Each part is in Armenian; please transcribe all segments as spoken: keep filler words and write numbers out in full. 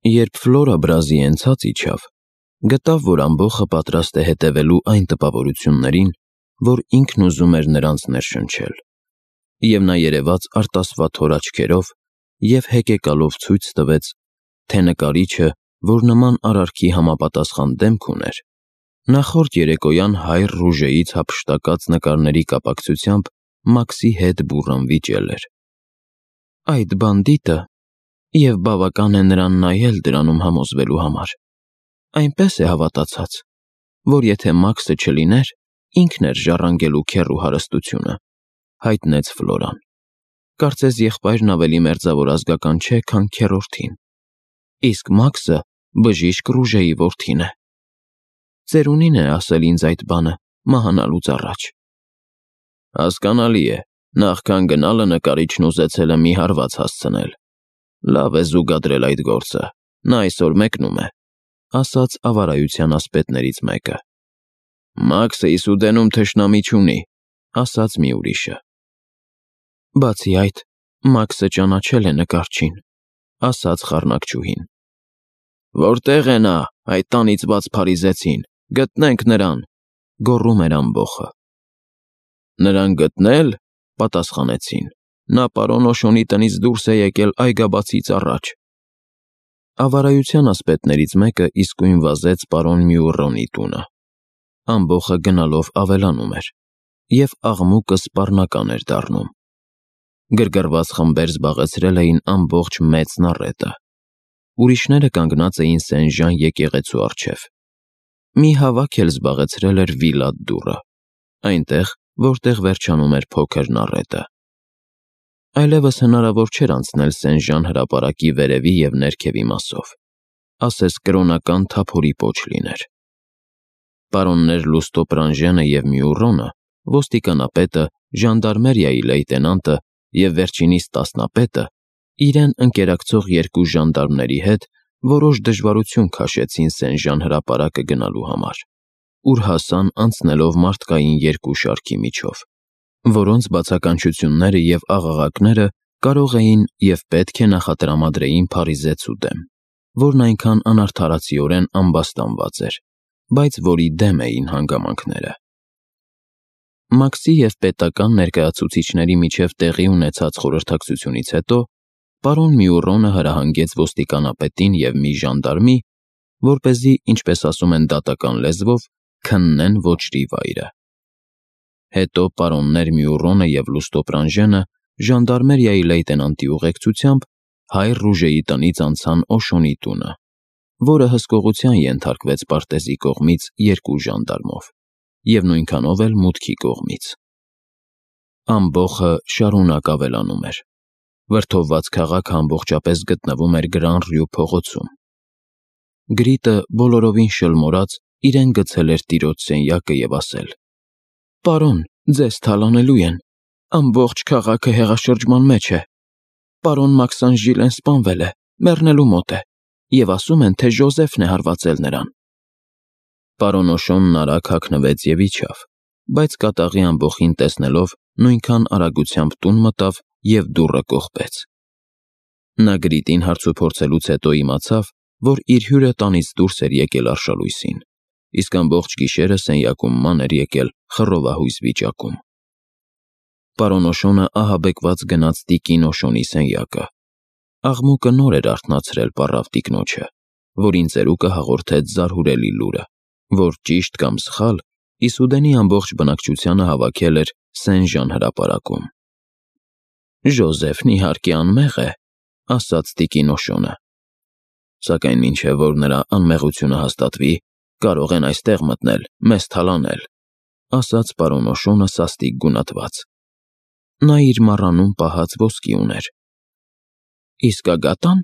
Երբ Ֆլորա Բրազիեն ցած իջավ, գտավ, որ ամբոխը պատրաստ է հետևելու այն տպավորություններին, որ ինքն ուզում էր նրանց ներշնչել, և նա երևաց արտասվաթ հոր աչքերով և հեկեկալով ցույց տվեց, թե նկարիչը, որ նման արարքի համապատասխան դեմք ուներ, նախորդ երեկոյան հայր Ռուժեից հափշտակած նկարների կապակցությամբ Մաքսի հետ բուռն վիճել էր։ Այդ բանդիտը, և բավական է նրան նայել դրանում համոզվելու համար, այնպես է հավատացած, որ եթե Մաքսը չլիներ, ինքն էր ժառանգելու քեռու հարստությունը, հայտնեց Ֆլորան։ Կարծես եղբայրն ավելի մերձավոր ազգական չէ, քան քեռորդին, իսկ Մաքսը բժիշկ Ռուժեի որդին է։ Ծերունին է ասել ինձ այդ բանը մահանալուց առաջ։ Հասկանալի է, նախքան գնալը նկարիչն ուզեցել է մի հարված հասցնել։ Լավ է զուգադրել այդ գործը, նա այսօր մեկնում է, ասաց ավարայության ասպետներից մեկը։ Մաքսը Իսուդենում թշնամի չունի, ասաց մի ուրիշը։ Բացի այդ, Մաքսը ճանաչել է նկարչին, ասաց խառնակչուհին։ Որտե՞ղ է նա, այդ անիծված փարիզեցին, գտնենք նրան, գոռում էր ամբոխը։ Նրան գտնել, պատասխանեցին, նա պարոն Օշոնի տնից դուրս է եկել այգաբացից առաջ։ Ավարայության ասպետներից մեկը իսկույն վազեց պարոն Մյուռոնի տունը։ Ամբոխը գնալով ավելանում էր, և աղմուկը սպառնական էր դառնում։ Գրգռված խմբեր զբաղեցրել էին ամբողջ մեծ նառետը։ Ուրիշները կանգնած էին Սեն-Ժան եկեղեցու առջև։ Մի հավաք էլ զբաղեցրել էր Վիլատ դուռը, այնտեղ, որտեղ վերջանում էր փոքր նառետը։ Այլևս հնարավոր չէր անցնել Սեն-Ժան հրապարակի վերևի և ներքևի մասով, ասես կրոնական թափորի պոչ լիներ։ Պարոններ Լուստո Պրանժենը և Մյուռոնը, ոստիկանապետը, ժանդարմերիայի լեյտենանտը և վերջինիս տասնապետը իրեն ընկերակցող երկու ժանդարմների հետ որոշ դժվարություն քաշեցին Սեն-Ժան հրապարակը գնալու համար, ուր հասան անցնելով մարդկային երկու շարքի միջով, որոնց բացականչությունները և աղաղակները կարող էին և պետք է նախատրամադրեին Փարիզեցու դեմ, որն այնքան անարդարացիորեն ամբաստանված էր, բայց որի դեմ էին հանգամանքները։ Մաքսի և պետական ներկայացուցիչների միջև տեղի ունեցած խորհրդակցությունից հետո պարոն Մյուռոնը հրահանգեց ոստիկանապետին և մի ժանդարմի, որպեսզի, ինչպես ասում են դատական լեզվով, քննեն ոճրի վայրը։ Հետո պարոններ Մյուռոնը և Լուստո Պրանժենը ժանդարմերիայի լեյտենանտի ուղեկցությամբ հայր Ռուժեի տնից անցան Օշոնի տունը, որը հսկողության ենթարկվեց պարտեզի կողմից երկու ժանդարմով և նույնքանով էլ մուտքի կողմից։ Ամբոխը շարունակ ավելանում էր։ Վրդովված քաղաքը ամբողջապես գտնվում էր Գրան Ռյու փողոցում։ Գրիտը բոլորովին շլմորած իրեն գցել էր տիրոջ սենյակը և ասել. «Պարոն, ձեզ թալանելու են, ամբողջ քաղաքը հեղաշրջման մեջ է։ Պարոն Մաքսանժիլեն սպանվել է, մեռնելու մոտ է, և ասում են, թե Ժոզեֆն է հարվածել նրան»։ Պարոն Օշոնն արագ հագնվեց և իջավ, բայց կատաղի ամբոխին տեսնելով նույնքան արագությամբ տուն մտավ և դուռը կողպեց։ Նա Գրիտին հարցուփորձելուց հետո իմացավ, որ իր հյուրը տանից դուրս էր եկել արշալույսին, իսկ ամբողջ գիշերը սենյակում ման էր եկել խռովահույս վիճակում։ Պարոն Օշոնը ահաբեկված գնաց տիկին Օշոնի սենյակը։ Աղմուկը նոր էր արթնացրել պառավ տիկնոջը, որին ծերուկը հաղորդեց զարհուրելի լուրը, որ ճիշտ կամ սխալ Իսուդենի ամբողջ բնակչությանը հավաքել էր Սեն-Ժան հրապարակում։ «Ժոզեֆն իհարկե անմեղ է», ասաց տիկին Օշոնը, «սակայն մինչև որ նրա անմեղությունը հաստատվի, կարող են այստեղ մտնել, մեզ թալանել», ասաց պարոն Օշոնը սաստիկ գունատված։ Նա իր մառանում պահած ոսկի ուներ։ «Իսկ Ագատա՞ն»։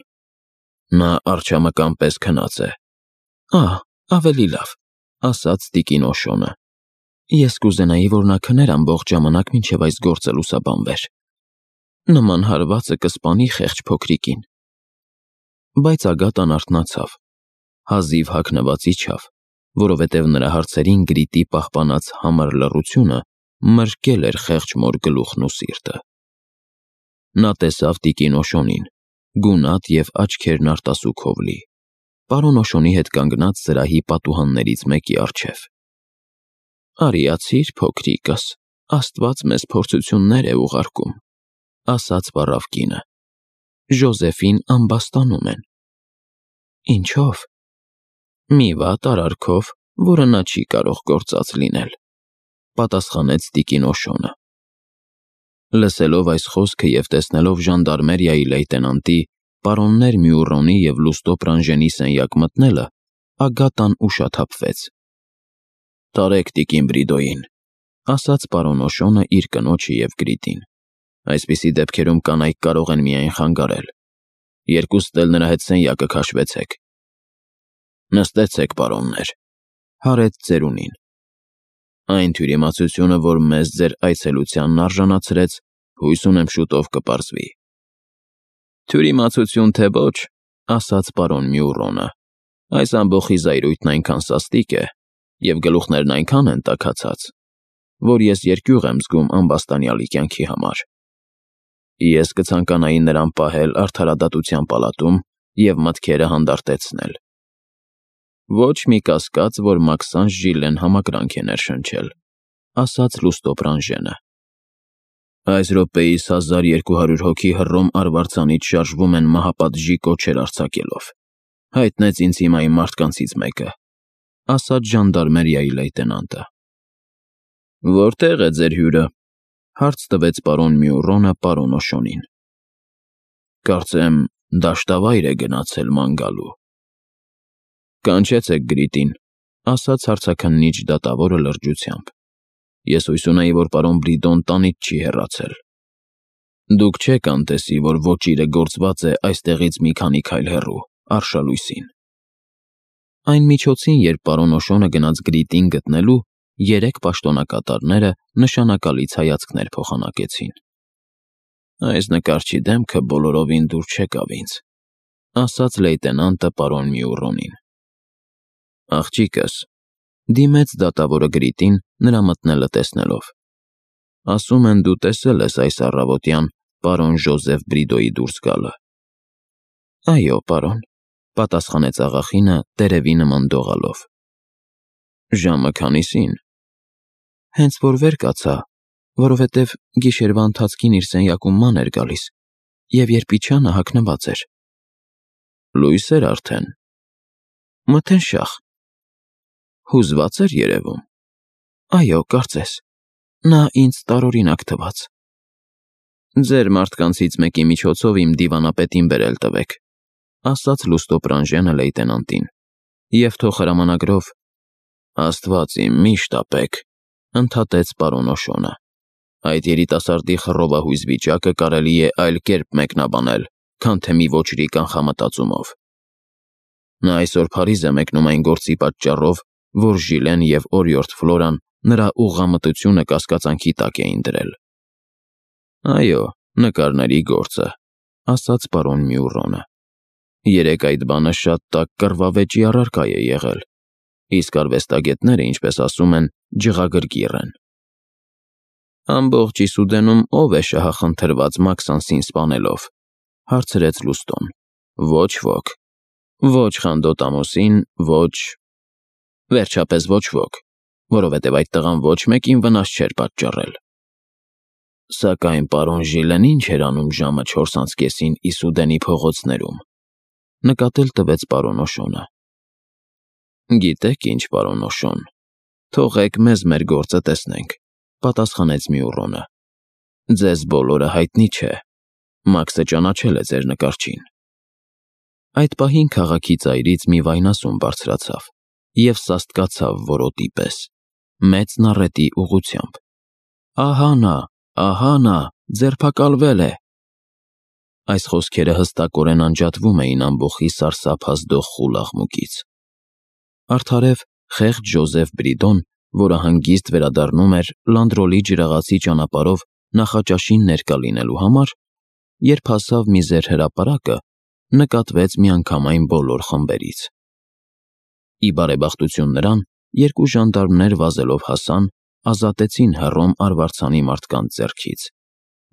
Նա արջամկան պես քնած է։ «Ահ, ավելի լավ», ասաց տիկին Օշոնը։ «Ես կուզենայի, որ նա քներ ամբողջ ժամանակ, մինչև այս գործը լուսաբանվեր։ Նման հարվածը կսպանի խեղճ փոքրիկին»։ Բայց Ագատան արթնացավ, հազիվ հագնված իջավ, որովհետև նրա հարցերին Գրիտի պահպանած համր լռությունը մրկել էր խեղճ մոր գլուխն ու սիրտը։ Նա տեսավ տիկին Օշոնին, գունատ և աչքերն արտասուքով լի, պարոն Օշոնի հետ կանգնած սրահի պատուհաններից մեկի առջև։ «Արիացիր, փոքրիկս, Աստված մեզ փորձություններ է ուղարկում», ասաց վառավ կինը։ «Ժոզեֆին ամբաստանում են»։ «Ինչո՞վ»։ «Մի վատ արարքով, որը նա չի կարող գործած լինել», պատասխանեց տիկին Օշոնը։ Լսելով այս խոսքը և տեսնելով ժանդարմերիայի լեյտենանտի, պարոններ Մյուռոնի և Լուստո Պրանժենի սենյակ մտնելը, Ագատան ուշաթափվեց։ «Տարեք տիկին Բրիդոյին», ասաց պարոն Օշոնը իր կնոջը և Գրիտին։ «Այսպիսի դեպքերում կանայք կարող են միայն խանգարել։ Երկուստ էլ նրա հետ սենյակը քաշվեցեք»։ «Նստեցեք, պարոններ», հարեց ծերունին։ «Այն թյուրիմացությունը, որ մեզ ձեր այցելությանն արժանացրեց, հույս ունեմ շուտով կպարզվի»։ «Թյուրիմացություն թե ոչ», ասաց պարոն Մյուռոնը, «այս ամբոխի զայրույթն այնքան սաստիկ է, և գլուխներն այնքան են տաքացած, որ ես երկյուղ եմ զգում ամբաստանյալի կյանքի համար։ Ես կցանկանայի նրան պահել արդարադատության պալատում և մտքերը հանդարտեցնել»։ «Ոչ մի կասկած, որ Մաքսանժ Ժիլլեն համակրանք է ներշնչել», ասաց Լուստո Պրանժենը։ «Այս րոպեիս հազար երկու հարյուր հոգի Հռոմ արվարձանից շարժվում են մահապատժի կոչեր արձակելով։ Հայտնեց ինձ հիմա իմ մարդկանցից մեկը», ասաց ժանդարմերիայի լեյտենանտը։ «Որտե՞ղ է ձեր հյուրը», հարց տվեց պարոն Մյուռոնը պարոն Օշոնին։ «Կարծեմ դաշտավայր է գնացել ման գալու»։ «Կանչեցեք Գրիտին», ասաց հարցաքննիչ դատավորը լրջությամբ։ «Ես հույս ունեի, որ պարոն Բրիդոն տանից չի հեռացել։ Դուք չեք անտեսի, որ ոճիրը գործված է այստեղից մի քանի քայլ հեռու, արշալույսին»։ Այն միջոցին, երբ պարոն Օշոնը գնաց Գրիտին գտնելու, երեք պաշտոնակատարները նշանակալից հայացքներ փոխանակեցին։ «Այս նկարչի դեմքը բոլորովին դուր չեկավ ինձ», ասաց լեյտենանտը պարոն Մյուռոնին։ «Աղջիկս», դիմեց դատավորը Գրիտին, նրա մտնելը տեսնելով, «ասում են դու տեսել ես այս առավոտյան պարոն Ժոզեֆ Բրիդոյի դուրս գալը»։ «Այո, պարոն», պատասխանեց աղախինը տերևի նման դողալով։ «Ժամը քանիսին»։ «Հենց որ վեր կացա, որովհետև գիշերվա ընթացքին իր սենյակում ման էր գալիս, և երբ իջա նա հագնված էր»։ «Լույս էր արդեն»։ «Մթնշաղ»։ «Հուզված էր երևում»։ «Այո, կարծես, նա ինձ տարօրինակ թվաց»։ «Ձեր մարդկանցից մեկի միջոցով իմ դիվանապետին բերել տվեք», ասաց Լուստո Պրանժենը լեյտենանտին, «և թող հրամանագրով»։ «Աստված իմ, մի շտապեք», ընդհատեց պարոն Օշոնը։ «Այդ երիտասարդի խռովահույզ վիճակը կարելի է այլ կերպ մեկնաբանել, քան թե մի ոճրի կանխամտածումով։ Նա այսօր Փարիզ է մեկնում այն գործի պատճառով, որ Ժիլեն և օրիորդ Ֆլորան նրա ուղղամտությունը կասկածանքի տակ էին դրել»։ «Այո, նկարների գործը», ասաց պարոն Մյուռոնը։ «Երեկ այդ բանը շատ տաք կռվավեճի առարկա է եղել, իսկ արվեստագետները, ինչպես ասում են, ջղագրգիռ են»։ «Ամբողջ Իսուդենում ով է շահախնդրված Մաքսանսին սպանելով», հարցրեց Լուստոն։ «Ոչ ոք։ Ոչ Խանդոտ ամուսին, ոչ… Վերջապես ոչ ոք, որովհետև այդ տղան ոչ մեկին վնաս չէր պատճառել»։ «Սակայն պարոն Ժիլեն ինչ էր անում ժամը չորս անց կեսին Իսուդենի փողոցներում», նկատել տվեց պարոն Օշոնը։ «Գիտեք ինչ, պարոն Օշոն, թողեք մեզ մեր գործը տեսնենք», պատասխանեց Մյուռոնը։ «Ձեզ բոլորը հայտնի չէ, Մաքսը ճանաչել է ձեր նկարչին»։ Այդ պահին քաղաքի ծայրից մի վայնասուն բարձրացավ և սաստկացավ որոտի պես, մեծ նառետի ուղղությամբ։ «Ահա նա, ահա նա, ձերբակալվել է»։ Այս խոսքերը հստակորեն անջատվում էին ամբոխի սարսափազդող խուլ աղմուկից։ Արդարև խեղճ Ժոզեֆ Բրիդոն, որը հանգիստ վերադառնում էր Լանդրոլի ջրաղացի ճանապարհով նախաճաշին ներկա լինելու համար, երբ հասավ միզեր հրապարակը, նկատվեց միանգամայն բոլոր խմբերից։ Ի բարեբախտություն նրան, երկու ժանդարմներ վազելով հասան, ազատեցին Հռոմ արվարձանի մարդկանց ձեռքից,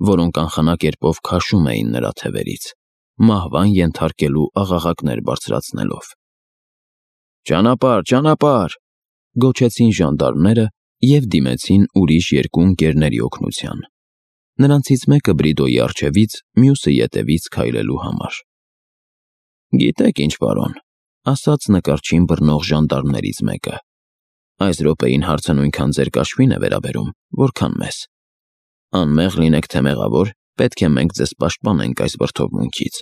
որոնք անխնա կերպով քաշում էին նրա թևերից։ մահվան ենթարկելու աղաղակներ բարձրացնելով։ «Ճանապարհ, ճանապարհ», գոչեցին ժանդարմները և դիմեցին ուրիշ երկու ընկերների օգնության։ Նրանցից մեկը Բրիդոյի առջևից, մյուսը ետևից քայլելու համար։ «Գիտեք ինչ, պարոն», ասաց նկարչին բռնող ժանդարմներից մեկը, «այս րոպեին հարցը նույնքան ձեր կաշվին է վերաբերում, որքան մեզ։ Անմեղ լինեք թե մեղավոր, պետք է մենք ձեզ պաշտպանենք այս վրդովմունքից,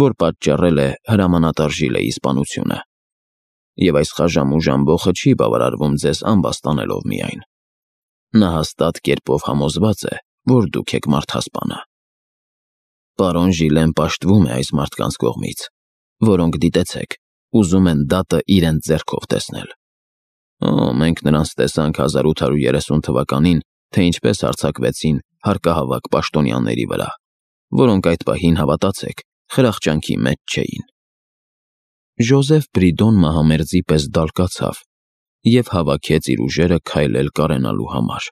որ պատճառել է հրամանատար Ժիլեի սպանությունը, և այս խաժամուժ ամբոխը չի բավարարվում ձեզ ամբաստանելով միայն։ Նա հաստատ կերպով համոզված է, որ դուք եք մարդասպանը։ Պարոն Ժիլեն պաշտվում է այս մարդկանց կողմից, որոնք, դիտեցեք, ուզում են դատը իրենց ձեռքով տեսնել։ Օ, մենք նրանց տեսանք հազար ութ հարյուր երեսուն թվականին, թե ինչպես հարձակվեցին հարկահավաք պաշտոնյաների վրա, որոնք այդ պահին, հավատացեք, խրախճանքի մեջ չէին»։ Ժոզեֆ Բրիդոն մահամերձի պես դալկացավ և հավաքեց իր ուժերը քայլել կարենալու համար։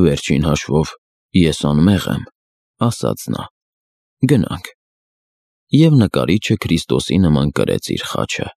«Վերջին հաշվով, ես անմեղ եմ», ասաց նա։ «Գնանք»։ Եվ նկարիչը Քրիստոսի նման կրեց իր խաչը։